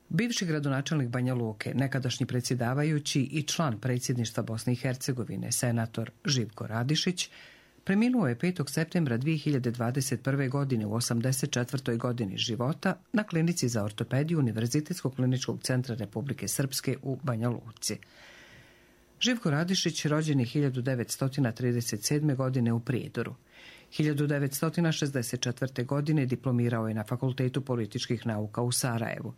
Bivši gradonačelnik Banja Luke, nekadašnji predsjedavajući i član predsjedništva Bosne i Hercegovine, senator Živko Radišić, preminuo je 5. septembra 2021. godine u 84. godini života na klinici za ortopediju Univerzitetskog kliničkog centra Republike Srpske u Banja Luci. Živko Radišić rođen je 1937. godine u Prijedoru. 1964. godine diplomirao je na Fakultetu političkih nauka u Sarajevu.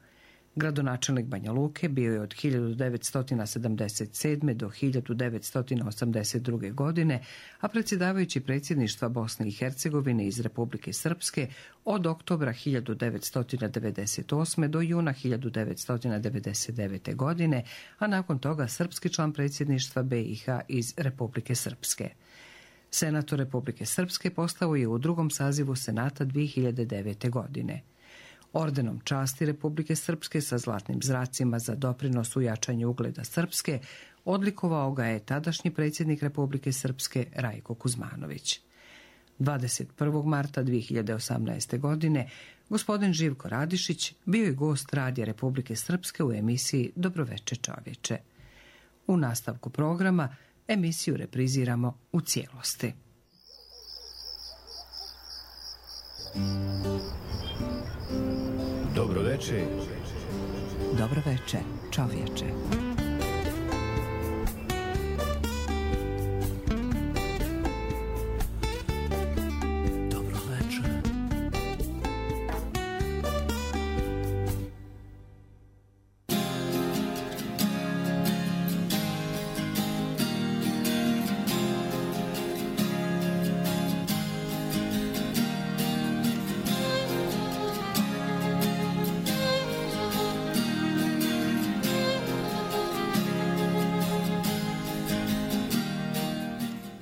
Gradonačelnik Banja Luke bio je od 1977. do 1982. godine, a predsjedavajući predsjedništva Bosne i Hercegovine iz Republike Srpske od oktobra 1998. do juna 1999. godine, a nakon toga srpski član predsjedništva BiH iz Republike Srpske. Senator Republike Srpske postao je u drugom sazivu Senata 2009. godine. Ordenom časti Republike Srpske sa zlatnim zracima za doprinos u jačanju ugleda Srpske odlikovao ga je tadašnji predsjednik Republike Srpske Rajko Kuzmanović. 21. marta 2018. godine gospodin Živko Radišić bio je gost Radija Republike Srpske u emisiji Dobroveče čovječe. U nastavku programa emisiju repriziramo u cijelosti. Dobroveče. Dobroveče, čovječe.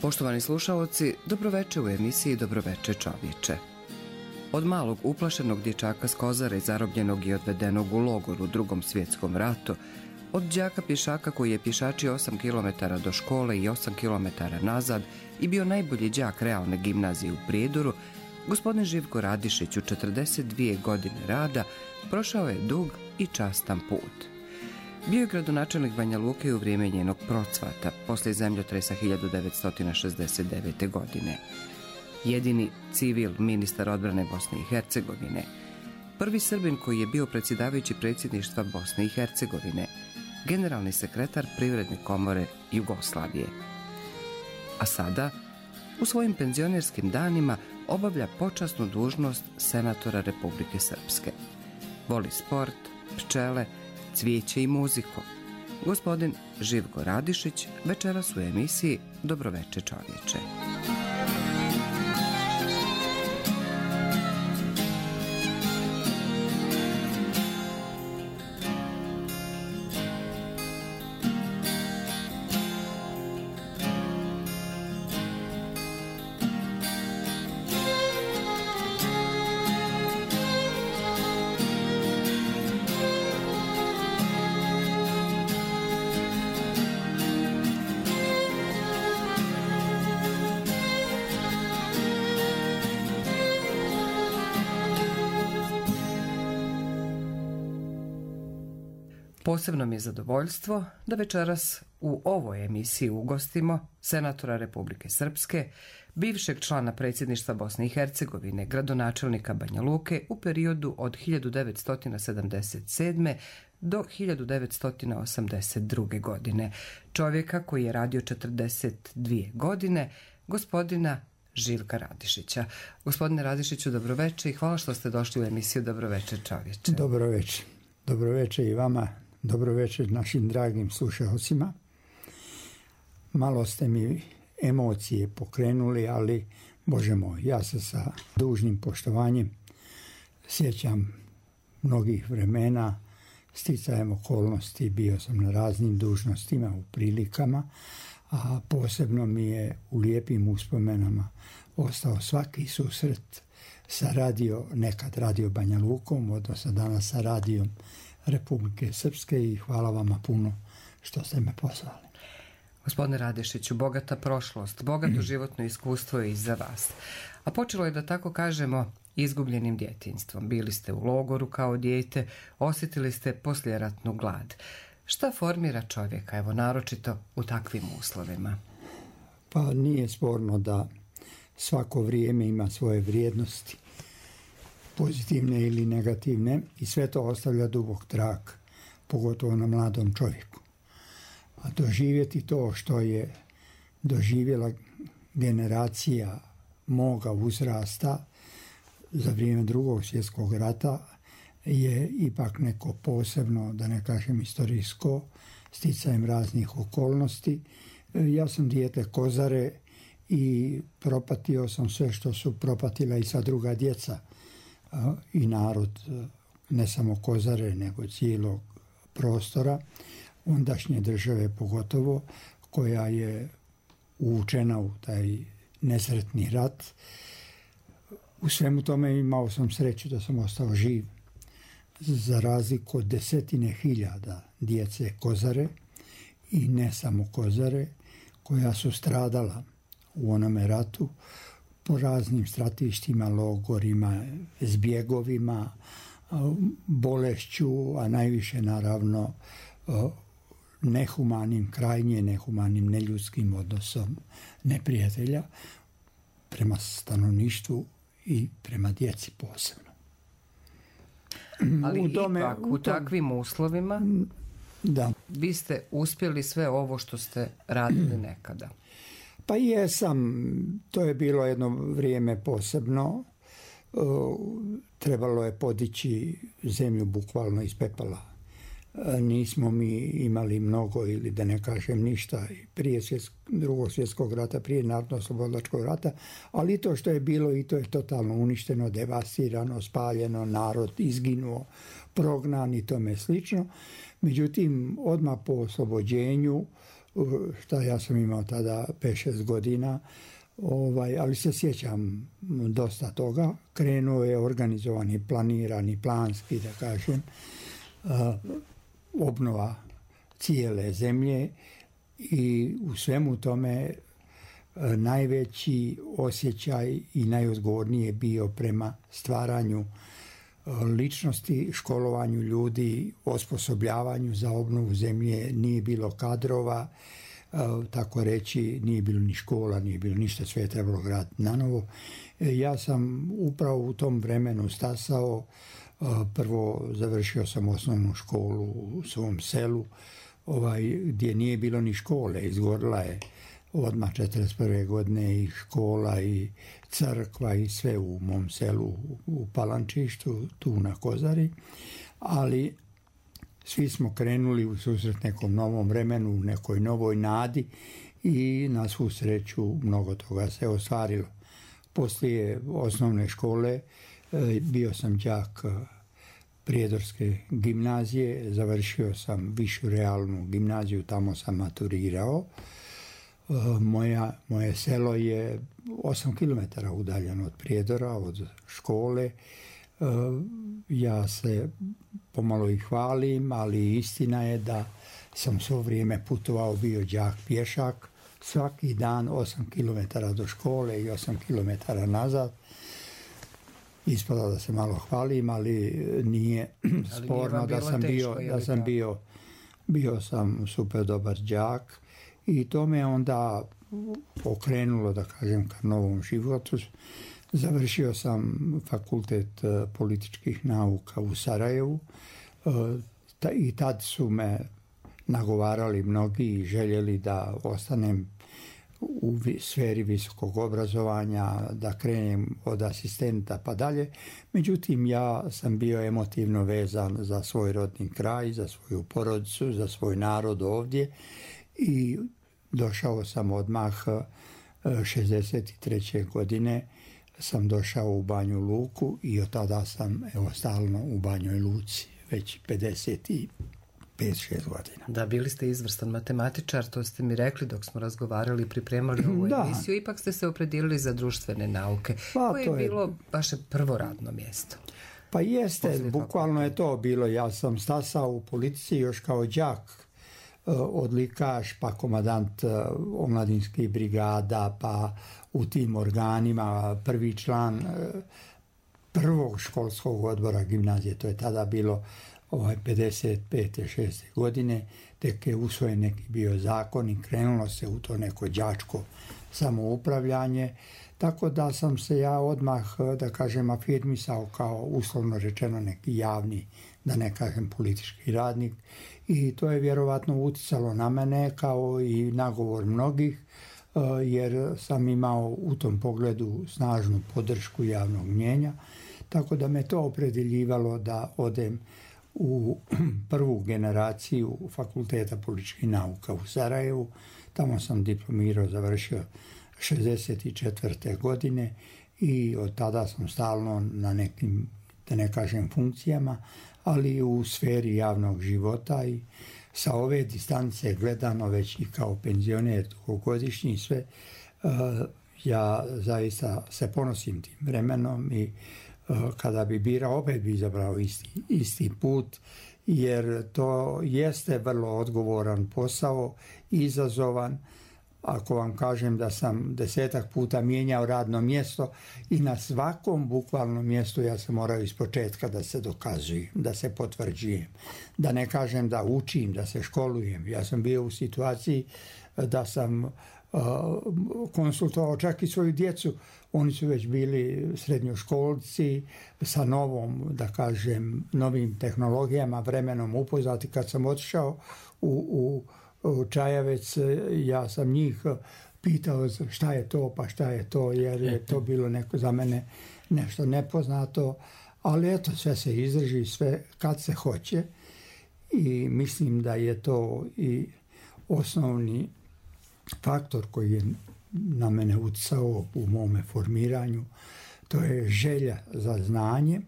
Poštovani slušaoci, dobroveče u emisiji Dobroveče čovječe. Od malog uplašenog dječaka s Kozare, zarobljenog i odvedenog u logor u Drugom svjetskom ratu, od đaka pješaka koji je pješačio 8 km do škole i 8 km nazad i bio najbolji đak realne gimnazije u Prijedoru, gospodin Živko Radišić u 42 godine rada prošao je dug i častan put. Bio je gradonačelnik Banja Luke u vrijeme njenog procvata, poslije zemljotresa 1969. godine. Jedini civil ministar odbrane Bosne i Hercegovine. Prvi Srbin koji je bio predsjedavajući predsjedništva Bosne i Hercegovine. Generalni sekretar Privredne komore Jugoslavije. A sada, u svojim penzionerskim danima, obavlja počasnu dužnost senatora Republike Srpske. Voli sport, pčele, cvijeće i muziku. Gospodin Živko Radišić večeras u emisiji Dobroveče čovječe. Posebno mi je zadovoljstvo da večeras u ovoj emisiji ugostimo senatora Republike Srpske, bivšeg člana predsjedništva Bosne i Hercegovine, gradonačelnika Banja Luke u periodu od 1977. do 1982. godine. Čovjeka koji je radio 42 godine, gospodina Živka Radišića. Gospodine Radišiću, dobroveče i hvala što ste došli u emisiju Dobroveče čovječe. Dobroveče. Dobroveče i vama. Dobroveče našim dragim slušalcima. Malo ste mi emocije pokrenuli, ali Bože moj, ja se sa dužnim poštovanjem sjećam mnogih vremena, sticajem okolnosti, bio sam na raznim dužnostima u prilikama, a posebno mi je u lijepim uspomenama ostao svaki susret sa nekad radio Banja Lukom, odnosno danas sa radijom Republike Srpske i hvala vama puno što ste me pozvali. Gospodine Radešiću, bogata prošlost, bogato životno iskustvo je iza vas. A počelo je, da tako kažemo, izgubljenim djetinjstvom. Bili ste u logoru kao dijete, osjetili ste poslijeratnu glad. Šta formira čovjeka, evo, naročito u takvim uslovima? Pa nije sporno da svako vrijeme ima svoje vrijednosti, pozitivne ili negativne, i sve to ostavlja dubok trag, pogotovo na mladom čovjeku. A doživjeti to što je doživjela generacija moga uzrasta za vrijeme Drugog svjetskog rata je ipak neko posebno, da ne kažem istorijsko, sticajem raznih okolnosti. Ja sam dijete Kozare i propatio sam sve što su propatila i sva druga djeca i narod, ne samo Kozare, nego cijelog prostora, ondašnje države pogotovo, koja je uvučena u taj nesretni rat. U svemu tome imao sam sreću da sam ostao živ, za razliku od 10.000 djece Kozare i ne samo Kozare, koja su stradala u onome ratu po raznim stratištima, logorima, zbjegovima, bolešću, a najviše naravno nehumanim, krajnje nehumanim, neljudskim odnosom neprijatelja prema stanovništvu i prema djeci posebno. Ali u takvim uslovima da. Vi ste uspjeli sve ovo što ste radili nekada. Pa jesam, to je bilo jedno vrijeme posebno. Trebalo je podići zemlju bukvalno iz pepela. Nismo mi imali mnogo, ili da ne kažem ništa, prije Drugog svjetskog rata, prije Narodno-oslobodilačkog rata, ali to što je bilo, i to je totalno uništeno, devastirano, spaljeno, narod izginuo, prognan i tome slično. Međutim, odmah po oslobođenju, šta ja sam imao tada 5-6 godina, ali se sjećam dosta toga, krenuo je organizovani, planirani, planski, da kažem, obnova cijele zemlje, i u svemu tome najveći osjećaj i najodgovornije bio prema stvaranju ličnosti, školovanju ljudi, osposobljavanju za obnovu zemlje. Nije bilo kadrova, tako reći, nije bilo ni škola, nije bilo ništa, sve je trebalo graditi nanovo. Ja sam upravo u tom vremenu stasao. Prvo završio sam osnovnu školu u svom selu, gdje nije bilo ni škole. Izgorila je odmah 1941. godine i škola i crkva i sve u mom selu u Palančištu, tu na Kozari. Ali svi smo krenuli u susret nekom novom vremenu, u nekoj novoj nadi, i na svu sreću mnogo toga se ostvarilo. Poslije osnovne škole bio sam đak Prijedorske gimnazije, završio sam višu realnu gimnaziju, tamo sam maturirao. Moje selo je 8 km udaljeno od Prijedora, od škole. Ja se pomalo i hvalim, ali istina je da sam svo vrijeme putovao, bio đak pješak, svaki dan 8 km do škole i 8 km nazad. Ispada da se malo hvalim, ali nije sporno da sam bio sam super dobar đak, i to me onda okrenulo, da kažem, ka novom životu. Završio sam fakultet političkih nauka u Sarajevu, i tad su me nagovarali mnogi i željeli da ostanem u sferi visokog obrazovanja, da krenem od asistenta pa dalje. Međutim, ja sam bio emotivno vezan za svoj rodni kraj, za svoju porodicu, za svoj narod ovdje, i došao sam odmah 63. godine sam došao u Banju Luku, i od tada sam stalno u Banjoj Luci, već 55-6 godina. Da, bili ste izvrstan matematičar, to ste mi rekli dok smo razgovarali i pripremali ovu emisiju. Ipak ste se opredijelili za društvene nauke. Koje je bilo vaše prvo radno mjesto? Pa jeste, bukvalno je to bilo. Ja sam stasao u politici još kao đak odlikaš, pa komandant omladinskih brigada, pa u tim organima prvi član prvog školskog odbora gimnazije. To je tada bilo 55. 6. godine, tek je usvojen neki bio zakon i krenulo se u to neko đačko samoupravljanje, tako da sam se ja odmah, da kažem, afirmisao kao uslovno rečeno neki javni, da ne kažem politički radnik, i to je vjerovatno uticalo na mene kao i nagovor mnogih, jer sam imao u tom pogledu snažnu podršku javnog mnjenja, tako da me to opredeljivalo da odem u prvu generaciju Fakulteta političkih nauka u Sarajevu. Tamo sam diplomirao, završio 64. godine i od tada sam stalno na nekim, da ne kažem, funkcijama, ali u sferi javnog života, i sa ove distance gledano već i kao penzioner dugogodišnji sve, ja zaista se ponosim tim vremenom i kada bi birao, opet bi izabrao isti put, jer to jeste vrlo odgovoran posao, izazovan. Ako vam kažem da sam 10 puta mijenjao radno mjesto i na svakom bukvalnom mjestu ja sam morao ispočetka da se dokazujem, da se potvrđujem, da ne kažem da učim, da se školujem. Ja sam bio u situaciji da sam konsultovao čak i svoju djecu. Oni su već bili srednjoškolci sa novom, da kažem, novim tehnologijama, vremenom upoznati. Kad sam otišao u Čajavec, ja sam njih pitao šta je to, pa šta je to, jer je to bilo neko za mene nešto nepoznato, ali eto, sve se izdrži, sve kad se hoće, i mislim da je to i osnovni faktor koji je na mene utjecao u mome formiranju. To je želja za znanjem,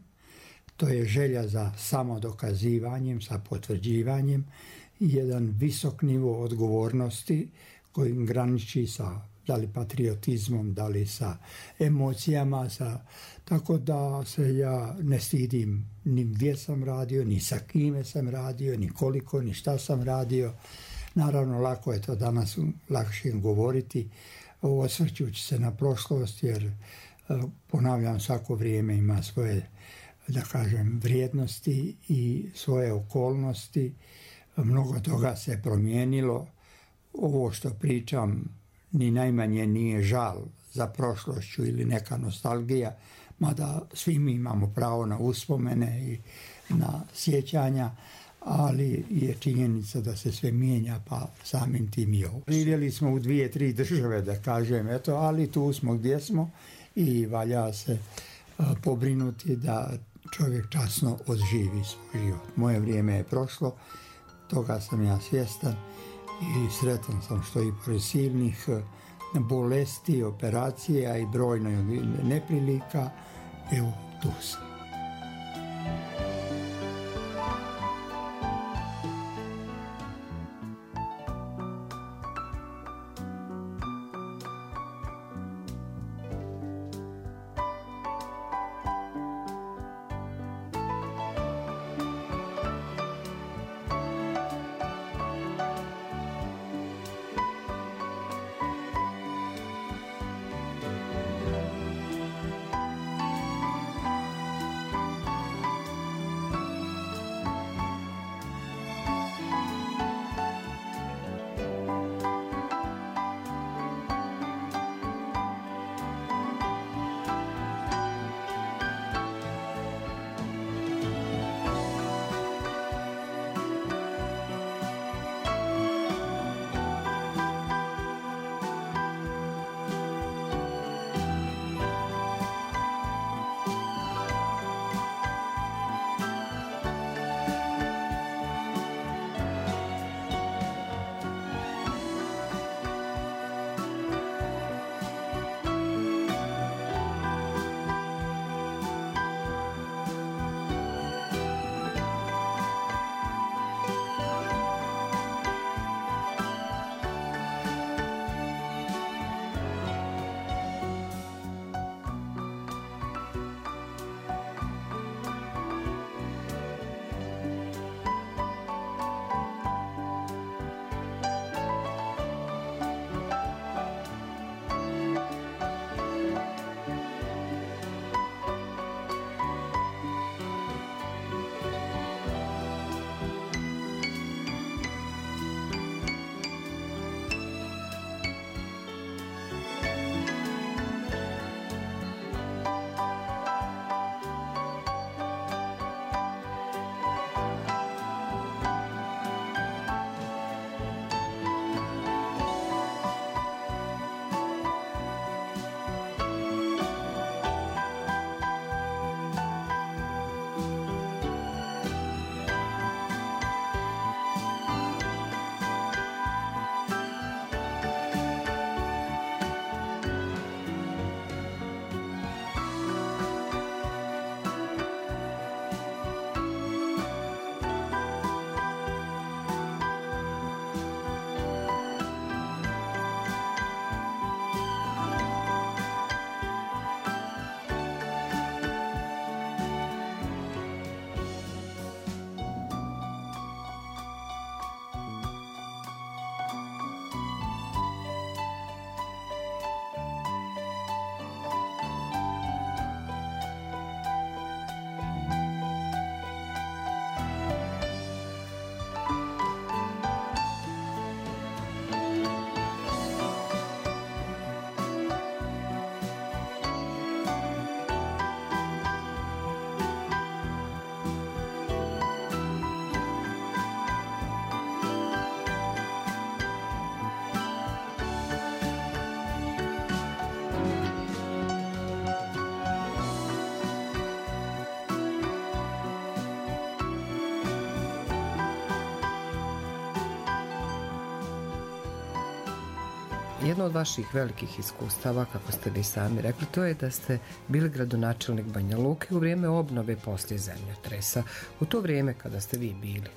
to je želja za samodokazivanjem, sa potvrđivanjem, i jedan visok nivo odgovornosti koji graniči sa, da li patriotizmom, da li sa emocijama, tako da se ja ne stidim ni gdje sam radio, ni sa kime sam radio, ni koliko, ni šta sam radio. Naravno, lako je to danas lakše govoriti, osvrćući se na prošlost, jer ponavljam, svako vrijeme ima svoje, da kažem, vrijednosti i svoje okolnosti. Mnogo toga se promijenilo. Ovo što pričam ni najmanje nije žal za prošlošću ili neka nostalgija, mada svi mi imamo pravo na uspomene i na sjećanja, ali je činjenica da se sve mijenja, pa samim tim i ovo. Živjeli smo u 2-3 države, da kažem, eto, ali tu smo gdje smo i valja se pobrinuti da čovjek časno odživi svoj život. Moje vrijeme je prošlo, toga sam ja svjestan i sretan sam što i pored silnih bolesti, operacija i brojno neprilika, evo, tu sam. Jedno od vaših velikih iskustava, kako ste vi sami rekli, to je da ste bili gradonačelnik Banja Luke u vrijeme obnove poslije zemljotresa. U to vrijeme kada ste vi bili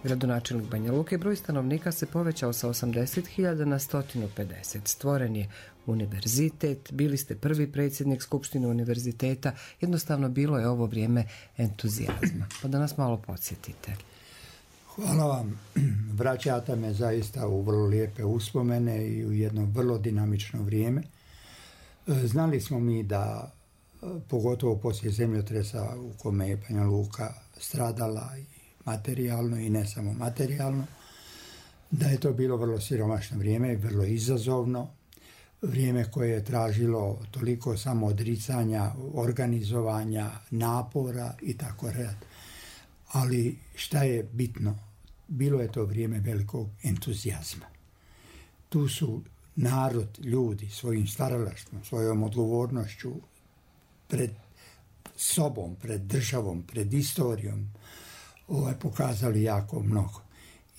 gradonačelnik Banja Luke, broj stanovnika se povećao sa 80.000 na 150. Stvoren je univerzitet, bili ste prvi predsjednik Skupštine univerziteta, jednostavno bilo je ovo vrijeme entuzijazma. Pa da nas malo podsjetite. Hvala vam. Vraćate me zaista u vrlo lijepe uspomene i u jedno vrlo dinamično vrijeme. Znali smo mi da, pogotovo poslije zemljotresa u kome je Banja Luka stradala i materijalno i ne samo materijalno, da je to bilo vrlo siromašno vrijeme i vrlo izazovno. Vrijeme koje je tražilo toliko samoodricanja, organizovanja, napora i tako redom. Ali šta je bitno? Bilo je to vrijeme velikog entuzijazma. Tu su narod, ljudi svojim stvaralaštvom, svojom odgovornošću pred sobom, pred državom, pred istorijom pokazali jako mnogo.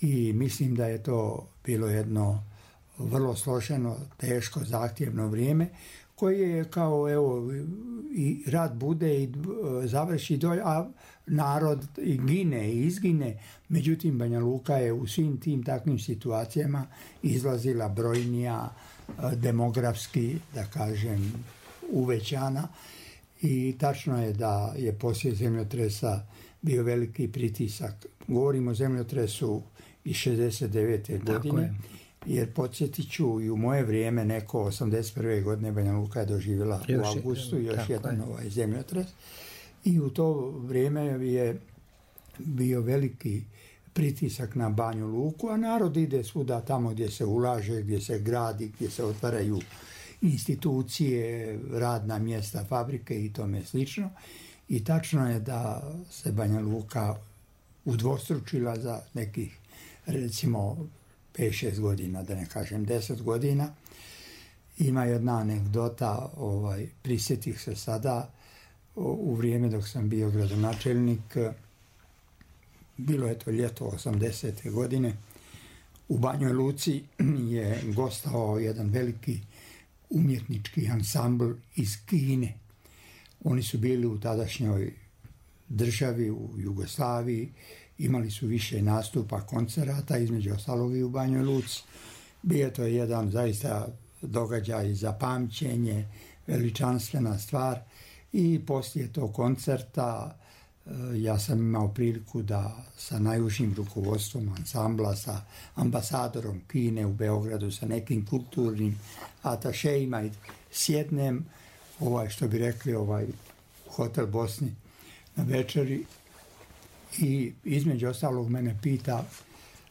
I mislim da je to bilo jedno vrlo složeno, teško, zahtjevno vrijeme koje je kao i rat bude i završi dolje, a narod i gine i izgine. Međutim, Banja Luka je u svim tim takvim situacijama izlazila brojnija, demografski, da kažem, uvećana. I tačno je da je poslije zemljotresa bio veliki pritisak. Govorimo o zemljotresu iz 69. godine. Jer podsjetit ću, i u moje vrijeme neko 81. godine Banja Luka je doživjela u avgustu još jedan zemljotres. I u to vrijeme je bio veliki pritisak na Banju Luku, a narod ide svuda tamo gdje se ulaže, gdje se gradi, gdje se otvaraju institucije, radna mjesta, fabrike i tome slično. I tačno je da se Banja Luka udvostručila za nekih, recimo, 5-6 godina, da ne kažem 10 godina. Ima jedna anegdota, prisjetih se sada, u vrijeme dok sam bio gradonačelnik, bilo je to ljeto 80. godine, u Banjoj Luci je gostao jedan veliki umjetnički ansambl iz Kine. Oni su bili u tadašnjoj državi, u Jugoslaviji, imali su više nastupa, koncerata, između ostalog i u Banjoj Luci. Bio to jedan zaista događaj za pamćenje, veličanstvena stvar i poslije tog koncerta ja sam imao priliku da sa najužim rukovodstvom ansambla, sa ambasadorom Kine u Beogradu, sa nekim kulturnim atašejima i sjednem, što bi rekli, hotel Bosni na večeri. I između ostalog mene pita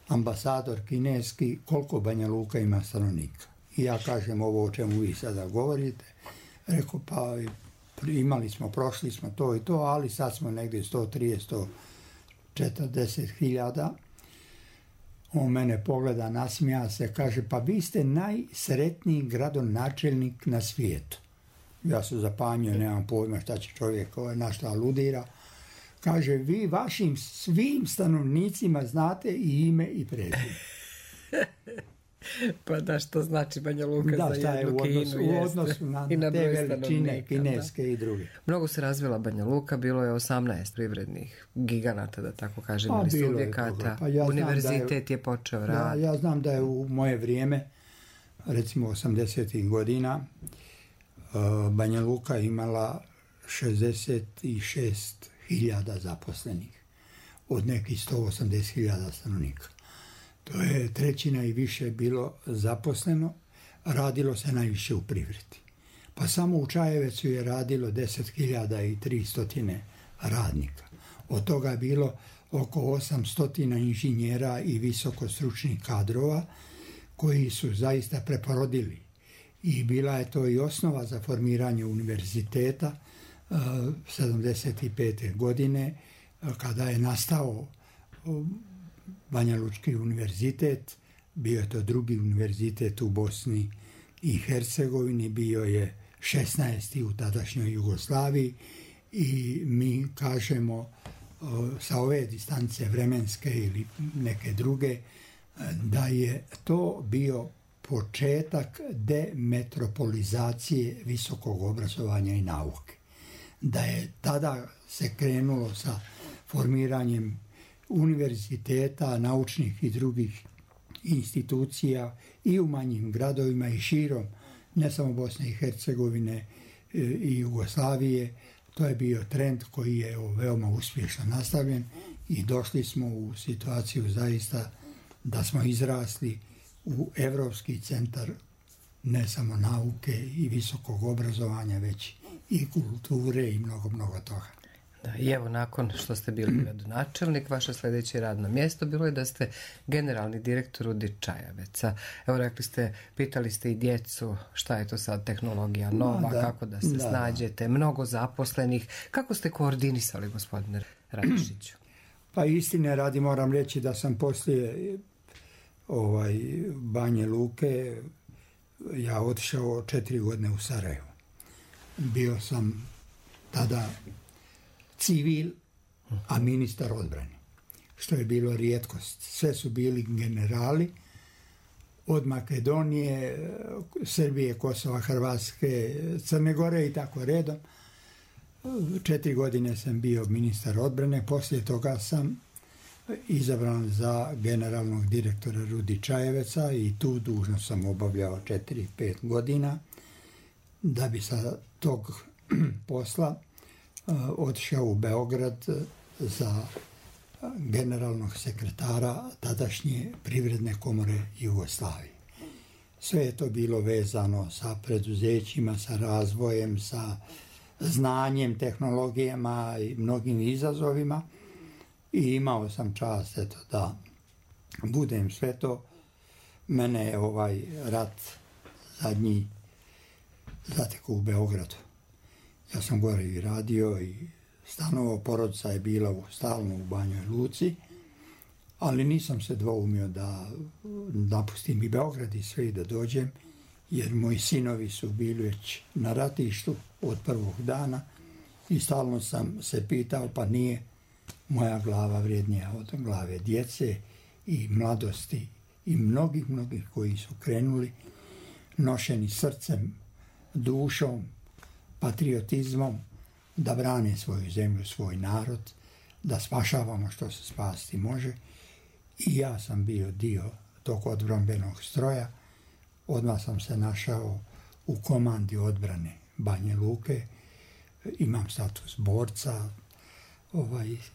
ambasador kineski koliko Banja Luka ima stanovnika. I ja kažem ovo o čemu vi sada govorite. Rekao, pa imali smo, prošli smo to i to, ali sad smo negdje 130-140 hiljada. On mene pogleda, nasmija se, kaže, pa vi ste najsretniji gradonačelnik na svijetu. Ja se zapanjio, nemam pojma šta će čovjek na šta aludira. Kaže, vi vašim svim stanovnicima znate i ime i prezime. Pa da, što znači Banja Luka za jednu Kinu? U odnosu na te veličine kineske i druge. Mnogo se razvila Banja Luka, bilo je 18 privrednih giganata, da tako kažem, ili subjekata. Univerzitet je počeo rad. Ja znam da je u moje vrijeme, recimo 80. godina, Banja Luka imala 66.000 zaposlenih od nekih 180.000 stanovnika. To je trećina i više bilo zaposleno, radilo se najviše u privredi. Pa samo u Čajevecu je radilo 10.300 radnika. Od toga je bilo oko 800 inženjera i visokostručnih kadrova koji su zaista preporodili. I bila je to i osnova za formiranje univerziteta 75. godine, kada je nastao Banja Lučki univerzitet. Bio je to drugi univerzitet u Bosni i Hercegovini, bio je 16. u tadašnjoj Jugoslaviji i mi kažemo sa ove distance vremenske ili neke druge da je to bio početak demetropolizacije visokog obrazovanja i nauke. Da je tada se krenulo sa formiranjem univerziteta, naučnih i drugih institucija i u manjim gradovima i širom, ne samo Bosne i Hercegovine i Jugoslavije. To je bio trend koji je veoma uspješno nastavljen i došli smo u situaciju zaista da smo izrasli u Evropski centar ne samo nauke i visokog obrazovanja, već i kulture i mnogo, mnogo toga. Da, i evo, nakon što ste bili gradonačelnik, vaše sljedeće radno mjesto bilo je da ste generalni direktor Rudi Čajeveca. Evo, rekli ste, pitali ste i djecu šta je to sad tehnologija nova, kako da se snađete, mnogo zaposlenih. Kako ste koordinisali, gospodine Radišiću? Pa istine radi moram reći da sam poslije Banje Luke ja otišao 4 godine u Sarajevo. Bio sam tada civil, a ministar odbrane, što je bilo rijetkost. Sve su bili generali od Makedonije, Srbije, Kosova, Hrvatske, Crne Gore i tako redom. 4 godine sam bio ministar odbrane, poslije toga sam izabran za generalnog direktora Rudi Čajeveca i tu dužnost sam obavljao 4-5 godina, da bi sa tog posla otišao u Beograd za generalnog sekretara tadašnje Privredne komore Jugoslavije. Sve je to bilo vezano sa preduzećima, sa razvojem, sa znanjem, tehnologijama i mnogim izazovima i imao sam čast da budem sve to. Mene je rat zadnji zatekao u Beogradu. Ja sam gore i radio i stanovao, porodica je bila stalno u Banjoj Luci, ali nisam se dvoumio da napustim i Beograd i sve i da dođem, jer moji sinovi su bili već na ratištu od prvog dana i stalno sam se pitao, pa nije moja glava vrijednija od glave djece i mladosti i mnogih koji su krenuli nošeni srcem, dušom, patriotizmom, da brane svoju zemlju, svoj narod, da spašavamo što se spasti može. I ja sam bio dio tog odbrambenog stroja. Odmah sam se našao u komandi odbrane Banje Luke. Imam status borca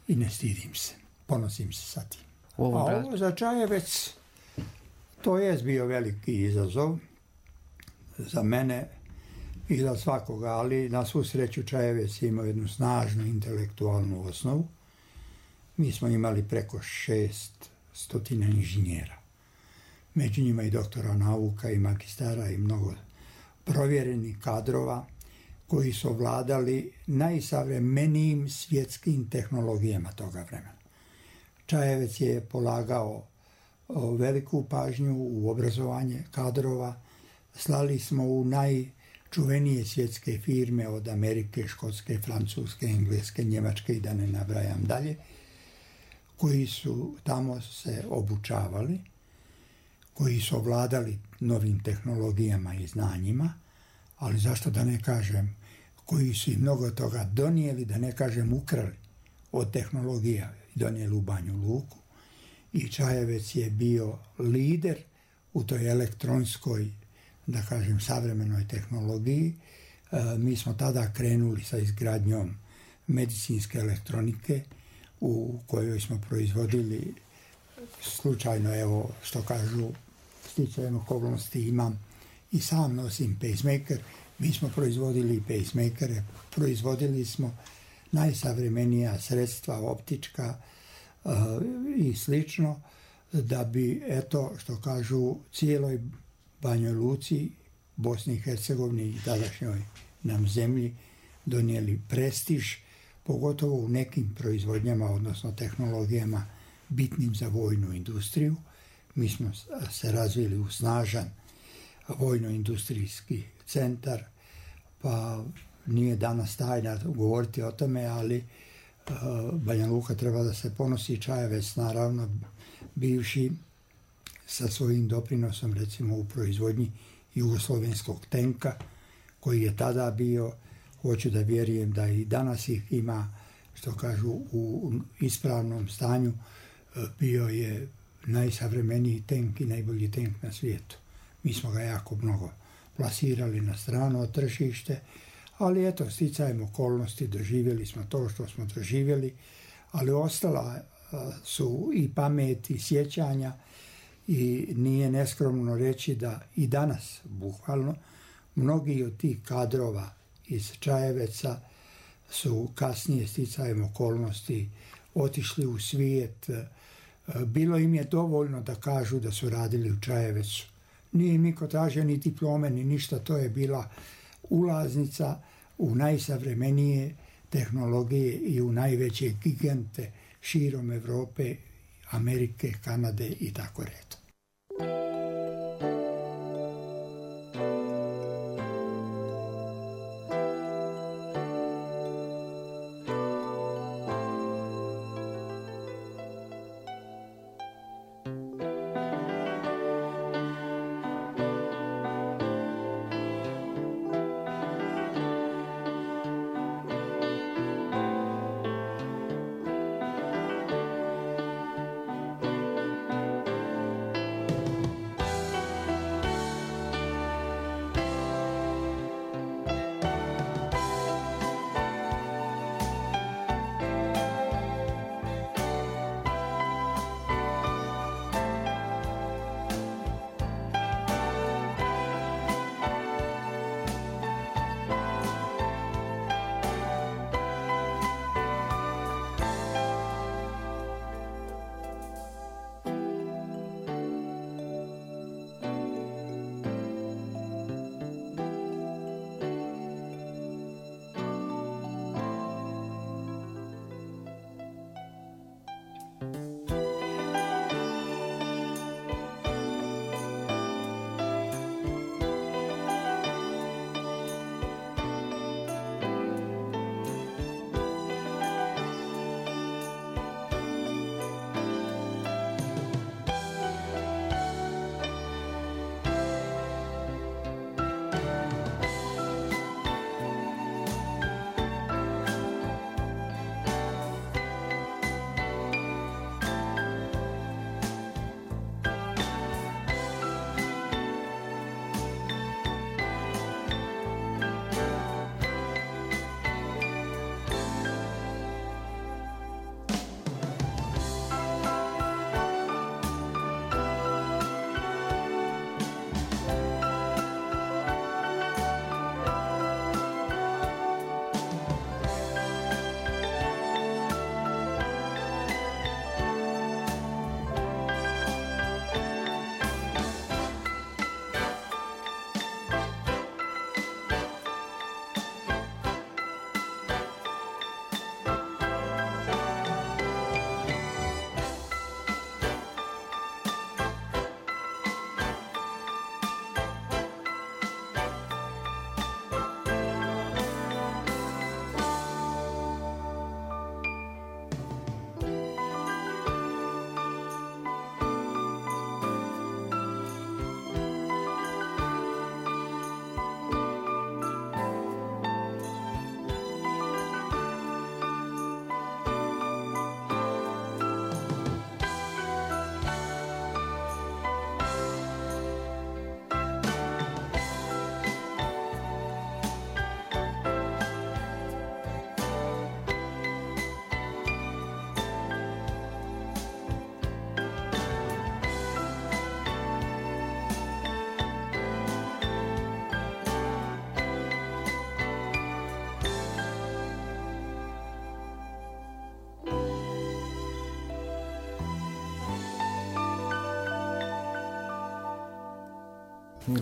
i ne stidim se. Ponosim se sa tim. A ovo za Čajevec, to je bio veliki izazov za mene i za svakoga, ali na svu sreću Čajevec imao jednu snažnu intelektualnu osnovu. Mi smo imali preko 600 inženjera. Među njima i doktora nauka i magistara i mnogo provjerenih kadrova koji su ovladali najsavremenijim svjetskim tehnologijama toga vremena. Čajevec je polagao veliku pažnju u obrazovanje kadrova. Slali smo u najčuvenije svjetske firme od Amerike, Škotske, Francuske, Engleske, Njemačke i da ne nabrajam dalje, koji su tamo se obučavali, koji su ovladali novim tehnologijama i znanjima, ali zašto da ne kažem, koji su i mnogo toga donijeli, da ne kažem ukrali od tehnologija i donijeli u Banju Luku. I Čajevec je bio lider u toj elektronskoj, da kažem, savremenoj tehnologiji. Mi smo tada krenuli sa izgradnjom medicinske elektronike u kojoj smo proizvodili, slučajno, evo što kažu, sticajem okolnosti imam i sam nosim pacemaker. Mi smo proizvodili pacemakere, proizvodili smo najsavremenija sredstva optička i slično, da bi, eto, što kažu, cijeloj Banjoj Luci, Bosni i Hercegovini i tadašnjoj nam zemlji donijeli prestiž, pogotovo u nekim proizvodnjama, odnosno tehnologijama bitnim za vojnu industriju. Mi smo se razvili u snažan vojno-industrijski centar, pa nije danas tajna govoriti o tome, ali Banja Luka treba da se ponosi. Čajevec, naravno, bivši sa svojim doprinosom recimo u proizvodnji jugoslovenskog tenka koji je tada bio, hoću da vjerujem da i danas ih ima, što kažu, u ispravnom stanju. Bio je najsavremeniji tenk i najbolji tenk na svijetu. Mi smo ga jako mnogo plasirali na strano tržište, ali eto, sticajem okolnosti doživjeli smo to što smo doživjeli, ali ostala su i pamet i sjećanja i nije neskromno reći da i danas, bukvalno, mnogi od tih kadrova iz Čajeveca su kasnije sticajem okolnosti otišli u svijet. Bilo im je dovoljno da kažu da su radili u Čajevecu. Nije im niko tražio ni diplome, ni ništa, to je bila ulaznica u najsavremenije tehnologije i u najveće gigante širom Europe, Amerike, Kanade i tako redom.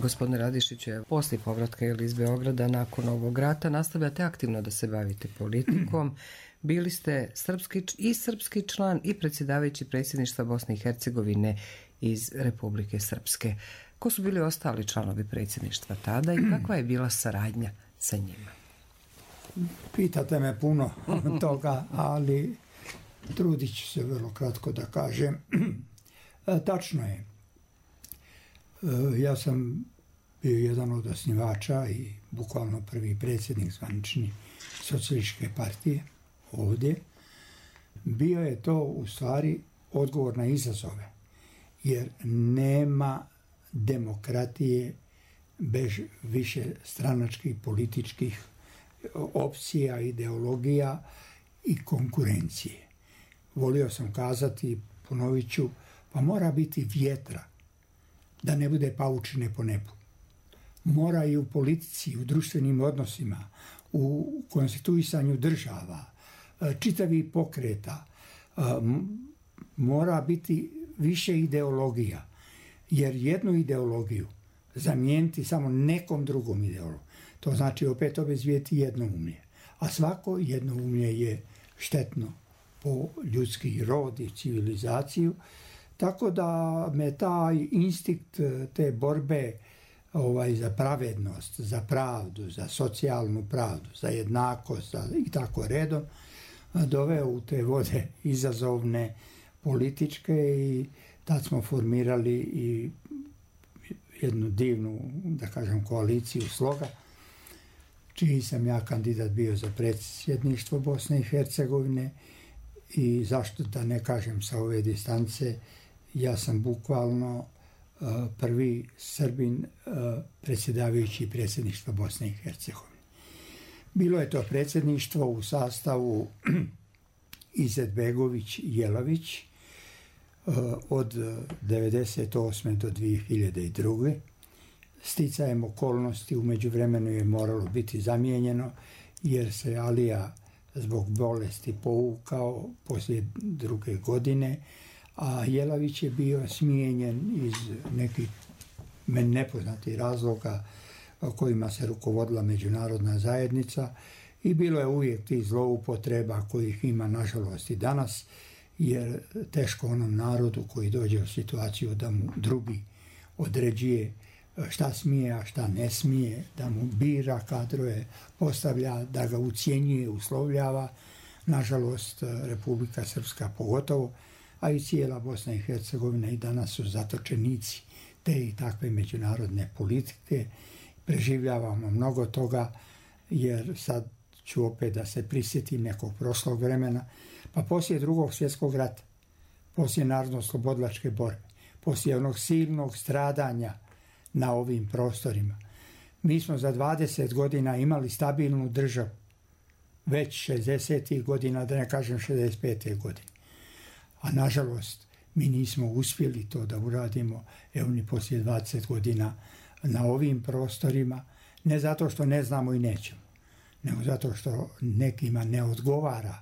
Gospodine Radišiću, poslije povratka iz Beograda nakon ovog rata nastavljate aktivno da se bavite politikom. Bili ste srpski član i predsjedavajući predsjedništva Bosne i Hercegovine iz Republike Srpske. Ko su bili ostali članovi predsjedništva tada i kakva je bila saradnja sa njima? Pitate me puno toga, ali trudit ću se vrlo kratko da kažem. Tačno je, Ja sam bio jedan od osnivača i bukvalno prvi predsjednik zvanični socijalističke partije ovdje. Bio je to u stvari odgovor na izazove, jer nema demokratije bez više stranačkih političkih opcija, ideologija i konkurencije. Volio sam kazati, ponovit ću, pa mora biti vjetra da ne bude paučine po nebu. Mora i u politici, u društvenim odnosima, u konstituisanju država, čitavi pokreta, mora biti više ideologija, jer jednu ideologiju zamijeniti samo nekom drugom ideologijom, to znači opet obezvijeti jednoumlje. A svako jednoumlje je štetno po ljudski rod i civilizaciju, tako da me taj instinkt te borbe za pravednost, za pravdu, za socijalnu pravdu, za jednakost i tako redom doveo u te vode izazovne političke i tad smo formirali i jednu divnu, da kažem, koaliciju Sloga, čiji sam ja kandidat bio za predsjedništvo Bosne i Hercegovine i zašto da ne kažem sa ove distance, ja sam bukvalno prvi Srbin predsjedavajući predsjedništva Bosne i Hercegovine. Bilo je to predsjedništvo u sastavu Izetbegović-Jelavić od 1998. do 2002. Sticajem okolnosti u međuvremenu je moralo biti zamijenjeno jer se Alija zbog bolesti povukao poslije 2. godine, a Jelavić je bio smijenjen iz nekih meni nepoznatih razloga kojima se rukovodila međunarodna zajednica i bilo je uvijek tih zloupotreba kojih ima nažalost i danas, jer teško onom narodu koji dođe u situaciju da mu drugi određuje šta smije, a šta ne smije, da mu bira kadrove, postavlja, da ga ucjenjuje, uslovljava. Nažalost, Republika Srpska pogotovo, a i cijela Bosna i Hercegovina i danas su zatočenici te i takve međunarodne politike. Preživljavamo mnogo toga, jer sad ću opet da se prisjetim nekog prošlog vremena, pa poslije Drugog svjetskog rata, poslije narodno-slobodilačke borbe, poslije onog silnog stradanja na ovim prostorima, mi smo za 20 godina imali stabilnu državu, već 60. godina, da ne kažem 65. godine. A nažalost, mi nismo uspjeli to da uradimo, evo ni poslije 20 godina na ovim prostorima, ne zato što ne znamo i nećemo, nego zato što nekima ne odgovara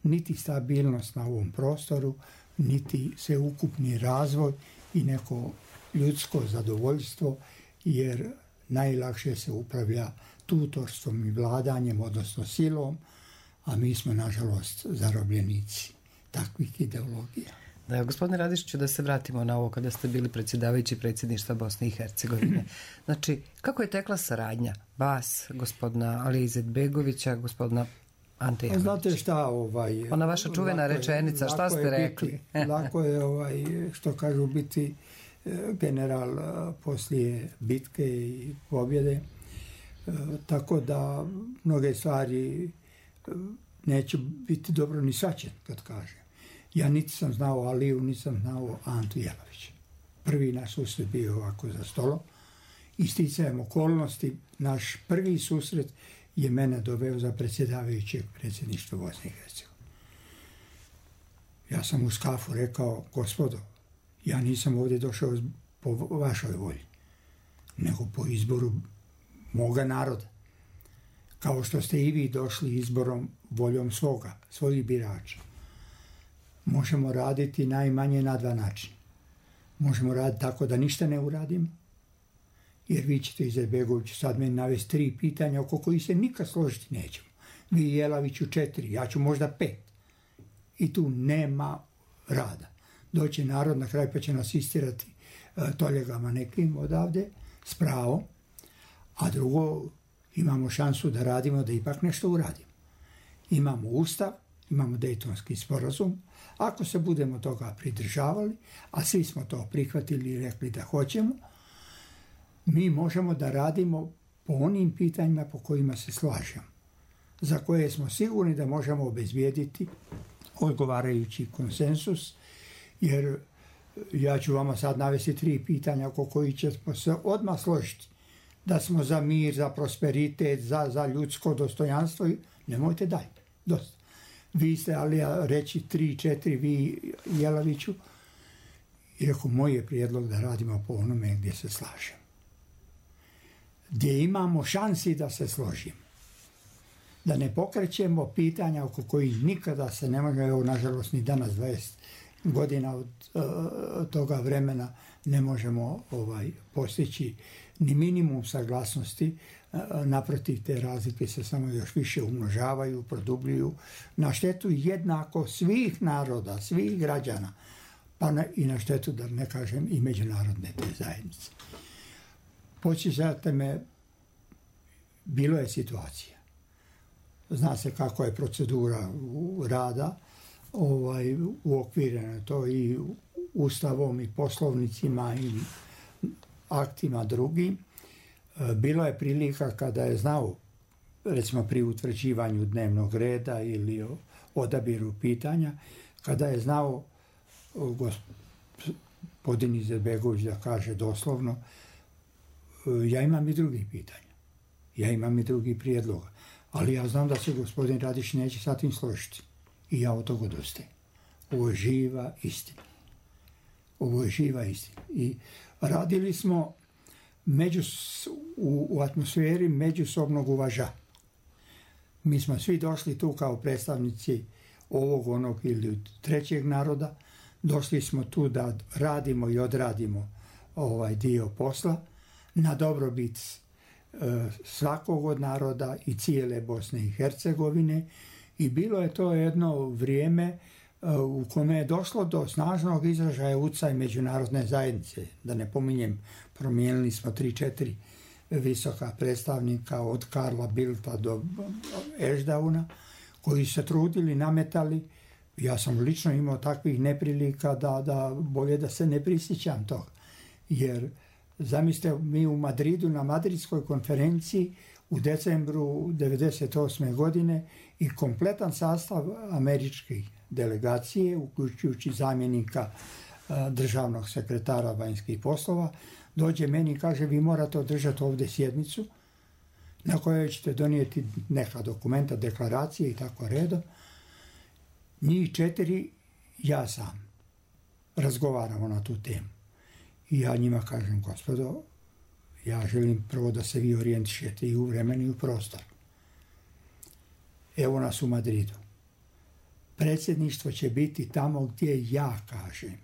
niti stabilnost na ovom prostoru, niti sveukupni razvoj i neko ljudsko zadovoljstvo, jer najlakše se upravlja tutorstvom i vladanjem, odnosno silom, a mi smo, nažalost, zarobljenici takvih ideologija. Da, gospodine Radišiću, da se vratimo na ovo kada ste bili predsjedavajući predsjedništva Bosne i Hercegovine. Znači, kako je tekla saradnja vas, gospodina Alije Izetbegovića, gospodina Ante Jelavića? Znate šta, ona vaša čuvena rečenica, šta ste rekli? Lako je, što kažu, biti general poslije bitke i pobjede, tako da mnoge stvari neće biti dobro ni shvaćen kad kažem. Ja niti sam znao Aliju, niti sam znao Antu Jelavića. Prvi naš susret bio ovako za stolom i sticajem okolnosti naš prvi susret je mene doveo za predsjedavajućeg predsjedništva Bosne i Hercegovine. Ja sam u skafu rekao, gospodo, ja nisam ovdje došao po vašoj volji, nego po izboru moga naroda. Kao što ste i vi došli izborom voljom svojih birača. Možemo raditi najmanje na 2 načina. Možemo raditi tako da ništa ne uradimo, jer vi ćete, Izetbegović, sad meni navesti 3 pitanja oko kojih se nikad složiti nećemo. Vi i Jelaviću 4, ja ću možda 5. I tu nema rada. Doće narod na kraj pa će nas istirati toljegama nekim odavde, s pravom, a drugo, imamo šansu da radimo, da ipak nešto uradimo. Imamo ustav, imamo Dejtonski sporazum, ako se budemo toga pridržavali, a svi smo to prihvatili i rekli da hoćemo, Mi možemo da radimo po onim pitanjima po kojima se slažemo, za koje smo sigurni da možemo obezbijediti odgovarajući konsensus, jer ja ću vama sad navesti 3 pitanja oko kojih ćemo se odmah složiti. Da smo za mir, za prosperitet, za ljudsko dostojanstvo. Nemojte dalje. Dosta. Vi ste, ali ja reći 3-4, vi Jelaviću. I rekao, moj je prijedlog da radimo po onome gdje se slažemo. Gdje imamo šansi da se složimo. Da ne pokrećemo pitanja oko kojih nikada se ne može, evo nažalost ni danas 20 godina od toga vremena ne možemo postići ni minimum saglasnosti. Naprotiv, te razlike se samo još više umnožavaju, produbljuju na štetu jednako svih naroda, svih građana, pa i na štetu, da ne kažem, i međunarodne te zajednice. Podsjećate me, bilo je situacija. Zna se kako je procedura rada, uokvireno to i ustavom i poslovnicima i aktima drugim. Bilo je prilika kada je znao, recimo pri utvrđivanju dnevnog reda ili odabiru pitanja, kada je znao gospodin Izetbegović da kaže doslovno, ja imam i drugih pitanja, ja imam i drugih prijedloga, ali ja znam da se gospodin Radić neće sa tim složiti i ja od toga odustajem. Ovo je živa istina. Ovo je živa istina. I radili smo u atmosferi međusobnog uvažavanja. Mi smo svi došli tu kao predstavnici ovog, onog ili trećeg naroda. Došli smo tu da radimo i odradimo ovaj dio posla na dobrobit svakog od naroda i cijele Bosne i Hercegovine. I bilo je to jedno vrijeme u kome je došlo do snažnog izražaja utjecaja međunarodne zajednice. Da ne pominjem, promijenili smo 3-4 visoka predstavnika od Karla Bildta do Ešdauna, koji se trudili, nametali. Ja sam lično imao takvih neprilika da bolje da se ne prisjećam toga. Jer zamislite, mi u Madridu na Madridskoj konferenciji u decembru 1998. godine i kompletan sastav američke delegacije, uključujući zamjenika državnog sekretara vanjskih poslova, dođe meni i kaže, vi morate održati ovdje sjednicu na kojoj ćete donijeti neka dokumenta, deklaracije i tako redom. Njih 4, ja sam, razgovaramo na tu temu. I ja njima kažem, gospodo, ja želim prvo da se vi orijentišete i u vremenu i u prostor. Evo nas u Madridu. Predsjedništvo će biti tamo gdje ja kažem.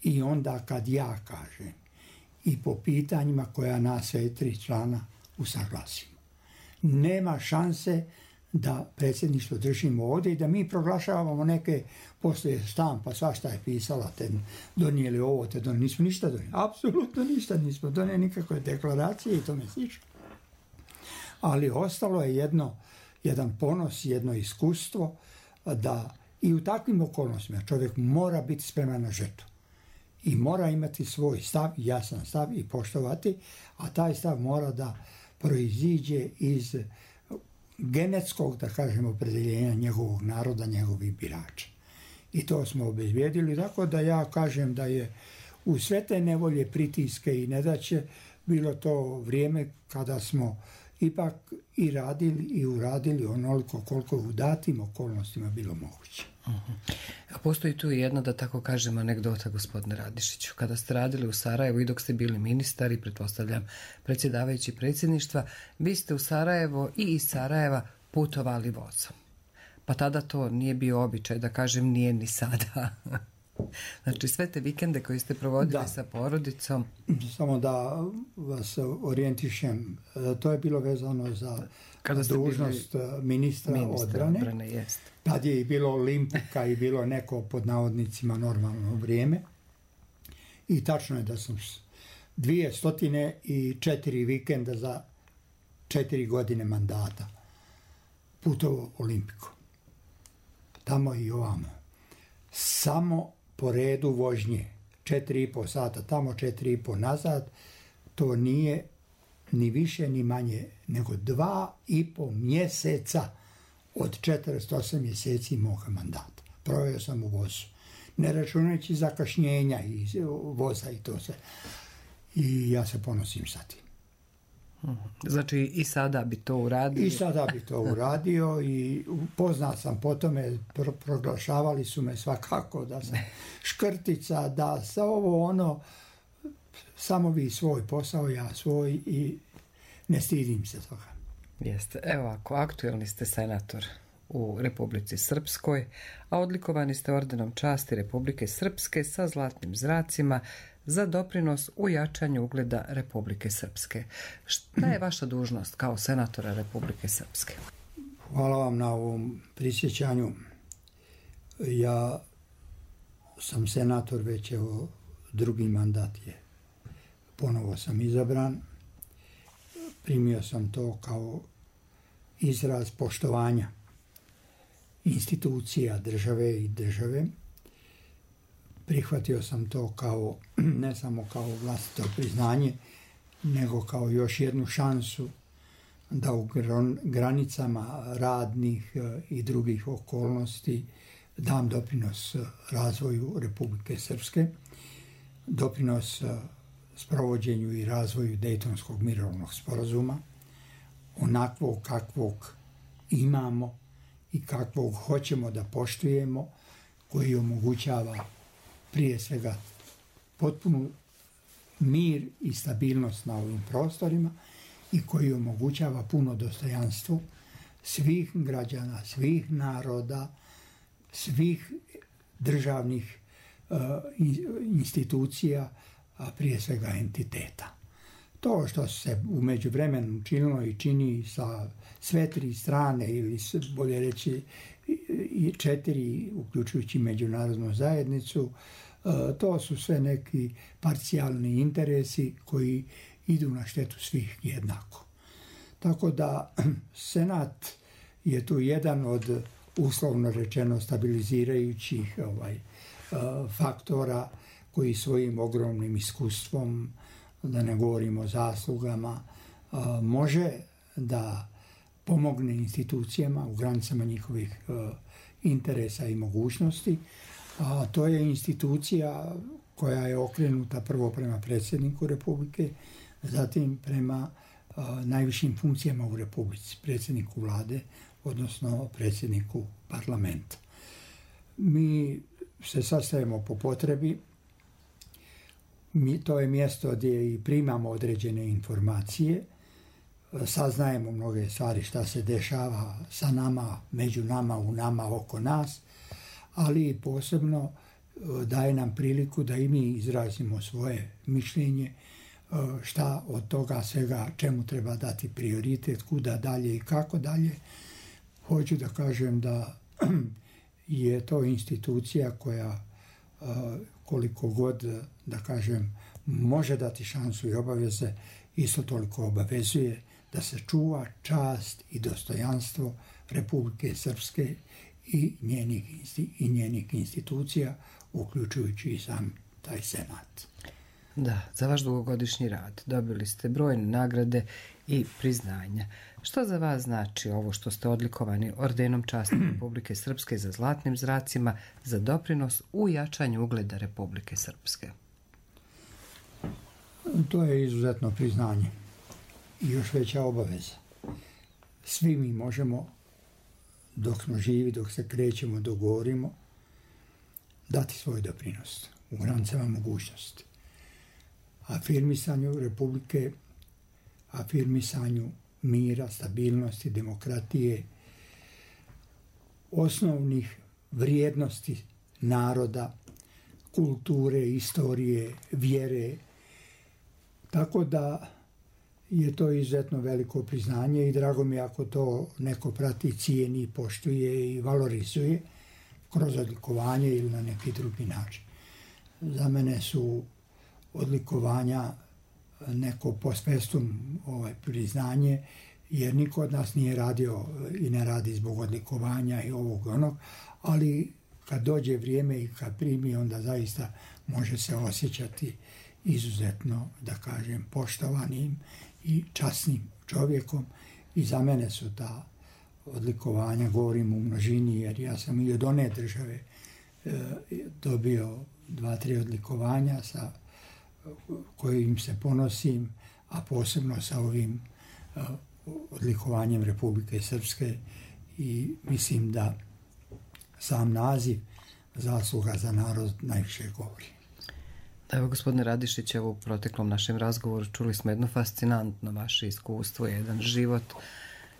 I onda kad ja kažem. I po pitanjima koja nas sve 3 člana usaglasimo. Nema šanse da predsjedništvo držimo ovdje i da mi proglašavamo neke poslije štampa, svašta je pisala, te donijeli ovo, te donijeli. Nismo ništa donijeli. Apsolutno ništa nismo donijeli, nikakve deklaracije i tome slično. Ali ostalo je jedan ponos, jedno iskustvo da i u takvim okolnostima čovjek mora biti spreman na žrtvu. I mora imati svoj stav, jasan stav i poštovati, a taj stav mora da proiziđe iz genetskog, da kažemo, opredjeljenja njegovog naroda, njegovih birača. I to smo obezbijedili, tako da ja kažem da je u sve te nevolje, pritiske i nedaće bilo to vrijeme kada smo ipak i radili i uradili onoliko koliko u datim okolnostima bilo moguće. A postoji tu jedna, da tako kažem, anegdota, gospodine Radišiću. Kada ste radili u Sarajevu i dok ste bili ministar i pretpostavljam predsjedavajući predsjedništva, vi ste u Sarajevo i iz Sarajeva putovali vozom. Pa tada to nije bio običaj, da kažem, nije ni sada. Znači sve te vikende koje ste provodili sa porodicom. Samo da vas orijentišem, to je bilo vezano za dužnost ministra odbrane. Jest. Tad je i bilo Olimpuka i bilo neko pod navodnicima normalno vrijeme. I tačno je da sam 204 vikenda za 4 godine mandata putovao Olimpiku. Tamo i ovamo. Samo po redu vožnje. 4,5 sata tamo, 4,5 nazad. to nije ni više ni manje nego 2,5 mjeseca od 48 mjeseci moga mandata. Proveo sam u vozu. Ne računajući zakašnjenja i voza i to sve. I ja se ponosim sa tim. Znači i sada bi to uradio? I sada bi to uradio i poznat sam po tome, proglašavali su me svakako da sam škrtica, da sa ovo ono, samo vi svoj posao, ja svoj i ne stidim se toga. Jeste. Evo ako aktuelni ste senator u Republici Srpskoj, a odlikovani ste ordenom časti Republike Srpske sa zlatnim zracima za doprinos u jačanju ugleda Republike Srpske. Šta je vaša dužnost kao senatora Republike Srpske? Hvala vam na ovom prisjećanju. Ja sam senator već evo drugi mandat je. Ponovo sam izabran. Primio sam to kao izraz poštovanja institucija države i države. Prihvatio sam to kao, ne samo kao vlastito priznanje, nego kao još jednu šansu da u granicama radnih i drugih okolnosti dam doprinos razvoju Republike Srpske, doprinos sprovođenju i razvoju Dejtonskog mirovnog sporazuma, onakvog kakvog imamo i kakvog hoćemo da poštujemo, koji omogućava prije svega potpunu mir i stabilnost na ovim prostorima i koji omogućava puno dostojanstvo svih građana, svih naroda, svih državnih institucija, a prije svega entiteta. To što se u međuvremenu činilo i čini sa sve tri strane ili bolje reći i 4, uključujući međunarodnu zajednicu, to su sve neki parcijalni interesi koji idu na štetu svih jednako. Tako da Senat je tu jedan od uslovno rečeno stabilizirajućih faktora koji svojim ogromnim iskustvom, da ne govorimo o zaslugama, može da pomogne institucijama u granicama njihovih interesa i mogućnosti. A to je institucija koja je okrenuta prvo prema predsjedniku Republike, zatim prema najvišim funkcijama u Republici, predsjedniku vlade, odnosno predsjedniku parlamenta. Mi se sastajemo po potrebi. To je mjesto gdje i primamo određene informacije, saznajemo mnoge stvari šta se dešava sa nama, među nama, u nama, oko nas, ali posebno daje nam priliku da i mi izrazimo svoje mišljenje, šta od toga svega, čemu treba dati prioritet, kuda dalje i kako dalje. Hoću da kažem da je to institucija koja koliko god, da kažem, može dati šansu i obaveze, isto toliko obavezuje da se čuva čast i dostojanstvo Republike Srpske i njenih institucija, uključujući i sam taj senat. Da, za vaš dugogodišnji rad dobili ste brojne nagrade i priznanja. Što za vas znači ovo što ste odlikovani ordenom časti Republike Srpske za zlatnim zracima za doprinos u jačanju ugleda Republike Srpske? To je izuzetno priznanje i još veća obaveza. Svi mi možemo, dok smo živi, dok se krećemo, dok govorimo, dati svoj doprinos u granicama mogućnosti. Afirmisanju Republike, afirmisanju mira, stabilnosti, demokratije, osnovnih vrijednosti naroda, kulture, istorije, vjere. Tako da je to izuzetno veliko priznanje i drago mi ako to neko prati, cijeni, poštuje i valorizuje kroz odlikovanje ili na neki drugi način. Za mene su odlikovanja neko post festum priznanje, jer niko od nas nije radio i ne radi zbog odlikovanja i ovog onog, ali kad dođe vrijeme i kad primi, onda zaista može se osjećati izuzetno, da kažem, poštovanim i časnim čovjekom i za mene su ta odlikovanja, govorim u množini, jer ja sam i od one države dobio 2-3 odlikovanja sa kojim se ponosim, a posebno sa ovim odlikovanjem Republike Srpske i mislim da sam naziv zasluga za narod najviše govori. Evo, gospodine Radišić, evo u proteklom našem razgovoru čuli smo jedno fascinantno vaše iskustvo, jedan život,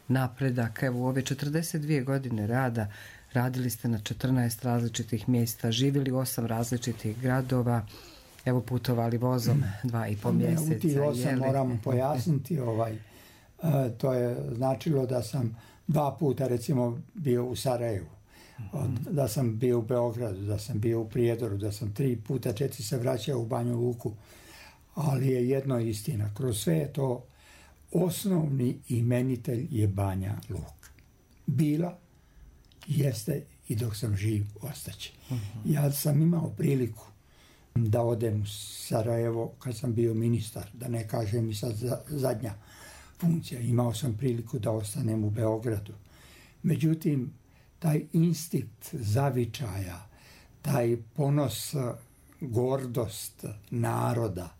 napredak. Evo, u ove 42 godine rada radili ste na 14 različitih mjesta, živjeli u 8 različitih gradova, evo putovali vozom 2,5 mjeseca. U tih 8 moramo pojasniti, to je značilo da sam 2 puta recimo bio u Sarajevu, da sam bio u Beogradu, da sam bio u Prijedoru, da sam 3 puta, 4 se vraćao u Banju Luku, ali je jedno istina, kroz sve je to osnovni imenitelj je Banja Luka. Bila, jeste i dok sam živ ostaće. Ja sam imao priliku da odem u Sarajevo kad sam bio ministar, da ne kažem i sad zadnja funkcija. Imao sam priliku da ostanem u Beogradu. Međutim, taj instinkt zavičaja, taj ponos, gordost naroda,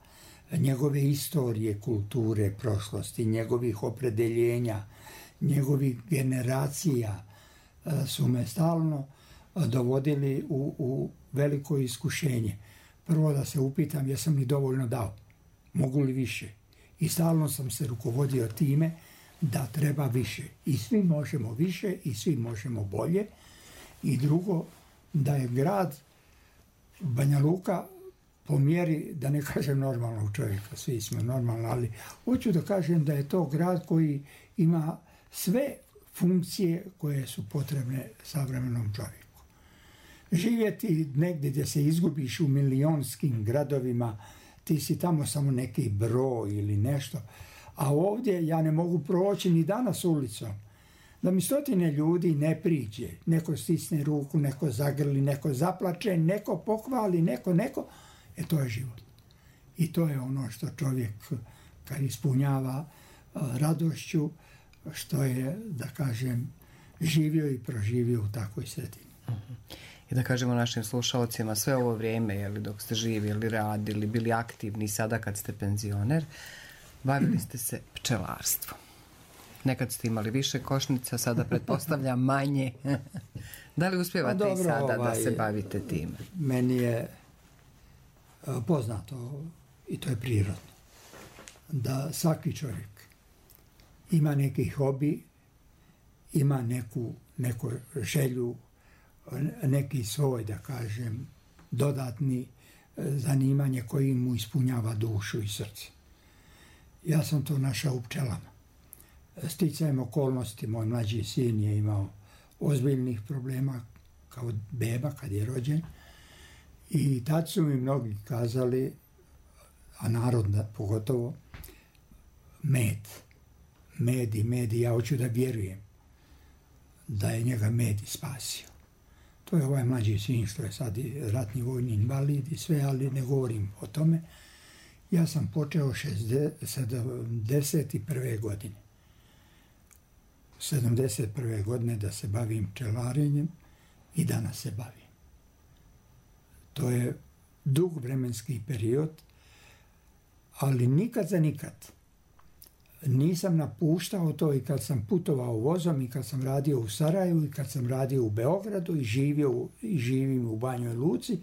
njegove istorije, kulture, prošlosti, njegovih opredeljenja, njegovih generacija su me stalno dovodili u veliko iskušenje. Prvo da se upitam jesam li dovoljno dao, mogu li više. I stalno sam se rukovodio time da treba više. I svi možemo više i svi možemo bolje. I drugo, da je grad Banja Luka po mjeri, da ne kažem normalnog čovjeka, svi smo normalni, ali hoću da kažem da je to grad koji ima sve funkcije koje su potrebne savremenom čovjeku. Živjeti negdje gdje se izgubiš u milionskim gradovima, ti si tamo samo neki broj ili nešto, a ovdje ja ne mogu proći ni danas ulicom, da mi 100 ljudi ne priđe, neko stisne ruku, neko zagrli, neko zaplače, neko pohvali, neko, to je život. I to je ono što čovjek kad ispunjava radošću, što je, da kažem, živio i proživio u takvoj sredini. I da kažemo našim slušalcima, sve ovo vrijeme, dok ste živjeli, radili, bili aktivni, sada kad ste penzioner, bavili ste se pčelarstvom. Nekad ste imali više košnica, sada pretpostavljam manje. Da li uspijevate i sada da se bavite time? Meni je poznato, i to je prirodno, da svaki čovjek ima neki hobi, ima neku želju, neki svoj, da kažem, dodatni zanimanje koji mu ispunjava dušu i srce. Ja sam to našao u pčelama. Sticajem okolnosti, moj mlađi sin je imao ozbiljnih problema kao beba kad je rođen i tad su mi mnogi kazali, a narod pogotovo, med i ja hoću da vjerujem da je njega med spasio. To je ovaj mlađi sin što je sad ratni vojni invalid i sve, ali ne govorim o tome. Ja sam počeo 71. godine. 71. godine da se bavim pčelarenjem i danas se bavim. To je dug vremenski period, ali nikad za nikad nisam napuštao to i kad sam putovao vozom i kad sam radio u Sarajevu i kad sam radio u Beogradu i živim u Banjoj Luci,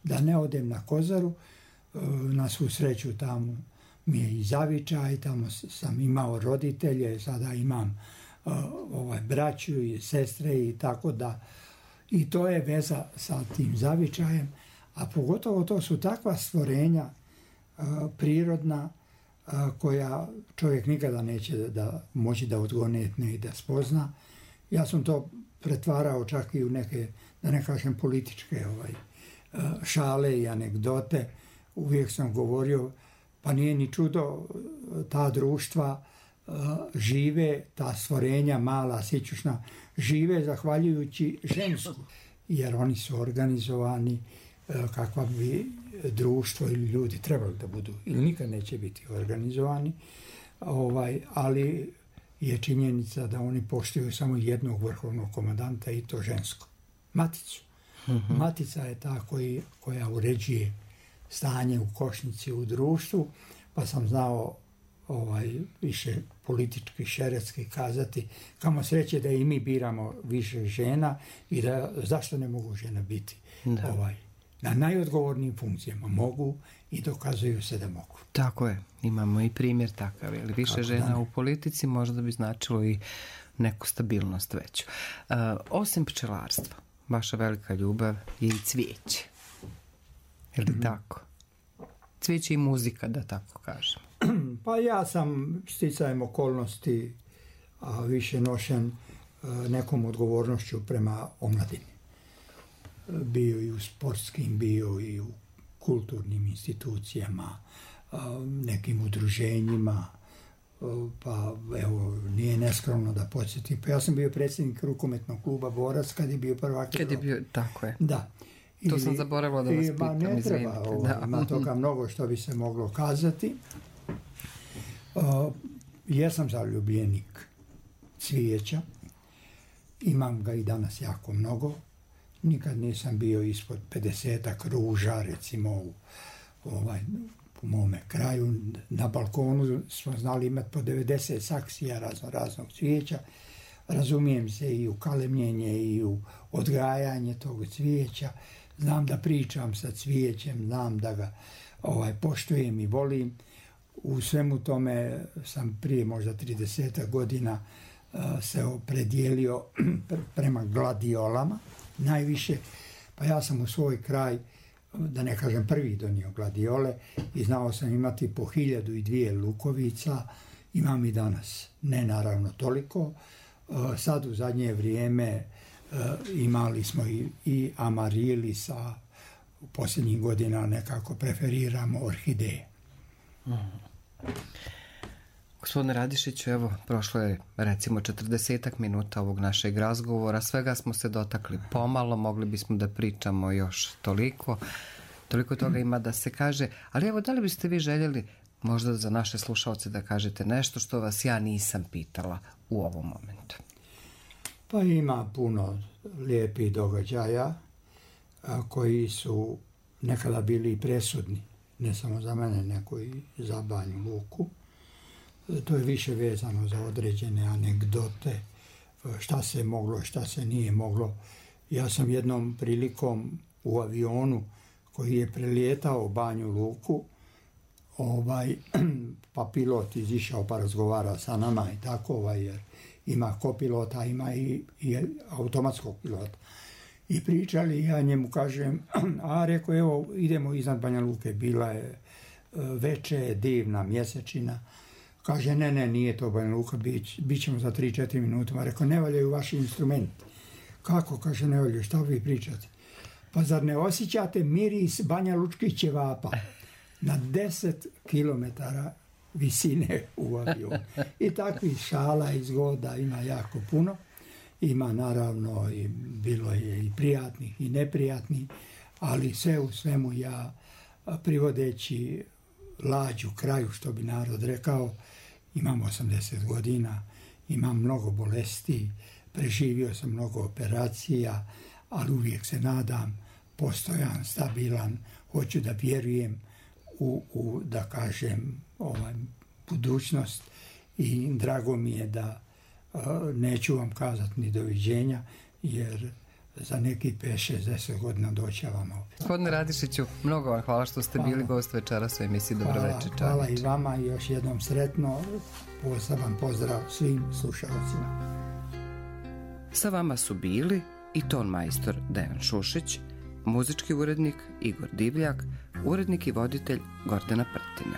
da ne odem na Kozaru. Na svu sreću tamo mi je i zavičaj, tamo sam imao roditelje, sada imam braću i sestre i tako da. I to je veza sa tim zavičajem, a pogotovo to su takva stvorenja prirodna koja čovjek nikada neće moći da odgonetne i da spozna. Ja sam to pretvarao čak i u neke, da ne kažem, političke šale i anegdote. Uvijek sam govorio, pa nije ni čudo, ta društva žive, ta stvorenja mala, sićušna, žive zahvaljujući žensku, jer oni su organizovani kakva bi društvo ili ljudi trebali da budu ili nikad neće biti organizovani, ali je činjenica da oni poštuju samo jednog vrhovnog komandanta i to žensko, maticu. Matica je ta koja uređuje stanje u košnici u društvu, pa sam znao više politički, šeretski kazati kamo sreće da i mi biramo više žena i da zašto ne mogu žena biti na najodgovornijim funkcijama. Mogu i dokazuju se da mogu. Tako je, imamo i primjer takav, ali više žena u politici možda bi značilo i neku stabilnost veću. Osim pčelarstva, vaša velika ljubav je i cvijeće. Je li tako? Cvijeće i muzika, da tako kažem. Pa ja sam sticajem okolnosti više nošen nekom odgovornošću prema omladini. Bio i u sportskim, bio i u kulturnim institucijama, nekim udruženjima, pa evo, nije neskromno da podsjetim. Pa ja sam bio predsjednik rukometnog kluba Borac kad je bio prvak. Kad je bio, tako je. Da. To sam zaboravila da vas pitam, ne treba, ima toga mnogo što bi se moglo kazati. Jesam zaljubljenik cvijeća, imam ga i danas jako mnogo. Nikad nisam bio ispod 50 ruža, recimo u mome kraju. Na balkonu smo znali imati po 90 saksija raznog cvijeća. Razumijem se i u kalemljenje i u odgajanje tog cvijeća. Znam da pričam sa cvijećem, znam da ga poštujem i volim. U svemu tome sam prije možda 30 godina se opredijelio prema gladiolama najviše. Pa ja sam u svoj kraj, da ne kažem prvi, donio gladiole i znao sam imati po 1002 lukovica. Imam i danas, ne naravno toliko. Sad u zadnje vrijeme imali smo i amarilisa, u posljednjih godina nekako preferiramo orhideje. Gospodine Radišiću, evo, prošlo je recimo 40 minuta ovog našeg razgovora, svega smo se dotakli pomalo, mogli bismo da pričamo još toliko toga ima da se kaže, ali evo, da li biste vi željeli možda za naše slušalce da kažete nešto što vas ja nisam pitala u ovom momentu? Pa ima puno lijepih događaja koji su nekada bili presudni, ne samo za mene, nego i za Banju Luku. To je više vezano za određene anegdote, šta se moglo, šta se nije moglo. Ja sam jednom prilikom u avionu koji je prelijetao Banju Luku, pa pilot izišao pa razgovara sa nama i tako, jer ima kopilota, ima i automatskog pilota. I pričali, ja njemu kažem, rekao, evo, idemo iznad Banja Luke, bila je veče, divna mjesečina. Kaže, ne, nije to Banja Luka, bit ćemo za 3-4 minuta. Rekao, ne valjaju vaši instrumenti. Kako? Kaže, ne valjaju, šta vi pričate? Pa zar ne osjećate miris Banja Lučkih ćevapa na 10 kilometara visine u avionu? I takvih šala i zgoda ima jako puno. Ima naravno, i bilo je i prijatnih i neprijatnih, ali sve u svemu ja, privodeći lađu kraju, što bi narod rekao, imam 80 godina, imam mnogo bolesti, preživio sam mnogo operacija, ali uvijek se nadam, postojan, stabilan, hoću da vjerujem u da kažem, budućnost i drago mi je da neću vam kazati ni doviđenja, jer za neki 5-60 godina doći vam opet. Gospodine Radišiću, mnogo vam hvala što ste bili gost večeras u emisiji Dobroveče čovječe. Hvala i vama i još jednom sretno, poseban pozdrav svim slušalcima. Sa vama su bili i ton majstor Dejan Šušić, muzički urednik Igor Divljak, urednik i voditelj Gordana Prtina.